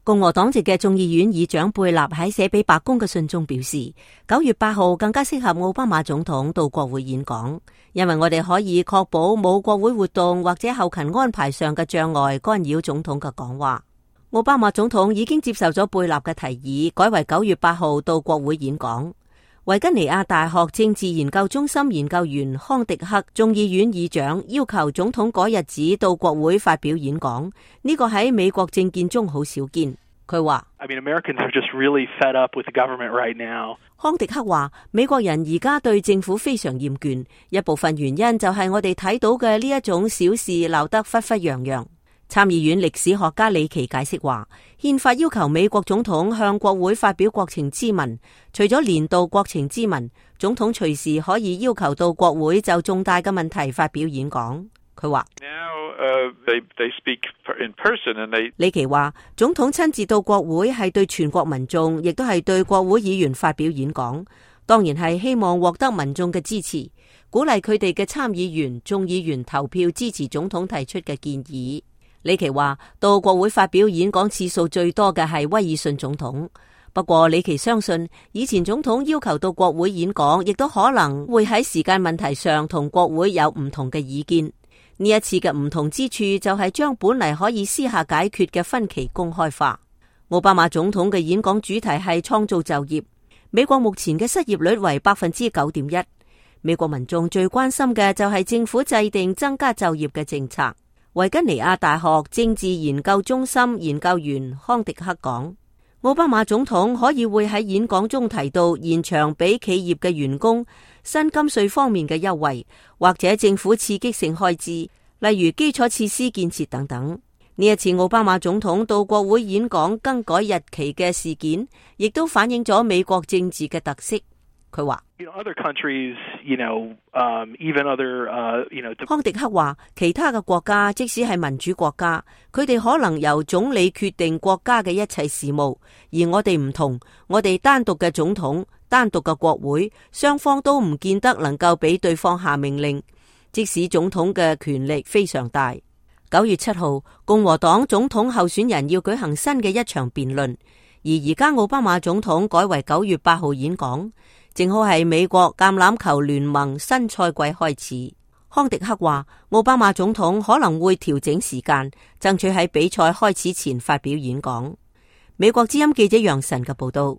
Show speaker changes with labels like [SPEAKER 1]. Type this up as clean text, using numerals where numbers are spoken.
[SPEAKER 1] 共和黨籍嘅眾議院議長貝納喺寫俾白宮嘅信中表示，9月8號更加適合奧巴馬總統到國會演講，因為我哋可以確保冇國會活動或者後勤安排上嘅障礙干擾總統嘅講話。奧巴馬總統已經接受咗貝納嘅提議，改為9月8號到國會演講。維吉尼亞大學政治研究中心研究員康迪克眾議院議長要求總統嗰日子到國會發表演講，呢個喺美國政見中好少見。佢話
[SPEAKER 2] Americans are just really fed up with the government right now.
[SPEAKER 1] 康迪克話美國人而家對政府非常厭倦，一部分原因就係我哋睇到嘅呢一種小事鬧得沸沸揚揚。參議院歷史學家李奇解釋話，憲法要求美國總統向國會發表國情咨文，除咗年度國情咨文，總統隨時可以要求到國會就重大嘅問題發表演講。佢話李奇話總統親自到國會係對全國民眾，亦都係對國會議員發表演講，當然係希望獲得民眾嘅支持，鼓勵佢哋嘅參議員、眾議員投票支持總統提出嘅建議。李奇話到國會發表演講次數最多嘅係威爾遜總統，不過李奇相信以前總統要求到國會演講，亦都可能會喺時間問題上同國會有唔同嘅意見。呢一次嘅唔同之處就係將本嚟可以私下解決嘅分歧公開化。奧巴馬總統嘅演講主題係創造就業。美國目前嘅失業率為 9.1%， 美國民眾最關心嘅就係政府制定增加就業嘅政策。維吉尼亞大學政治研究中心研究員康迪克講，奧巴馬總統可以會喺演講中提到延長俾企業嘅員工薪金稅方面嘅優惠，或者政府刺激性開支，例如基礎設施建設等等。呢一次奧巴馬總統到國會演講更改日期嘅事件，亦都反映咗美國政治嘅特色。佢話康迪克話其他嘅國家即使係民主國家，佢哋可能由總理決定國家嘅一切事務，而我哋唔同，我哋單獨嘅總統、單獨嘅國會，雙方都唔見得能夠俾對方下命令，即使總統嘅權力非常大。9月7號，共和黨總統候選人要舉行新嘅一場辯論，而家奧巴馬總統改為9月8號演講，正好係美國橄欖球聯盟新賽季開始。康迪克話，奧巴馬總統可能會調整時間，爭取喺比賽開始前發表演講。美國之音記者楊晨嘅報道。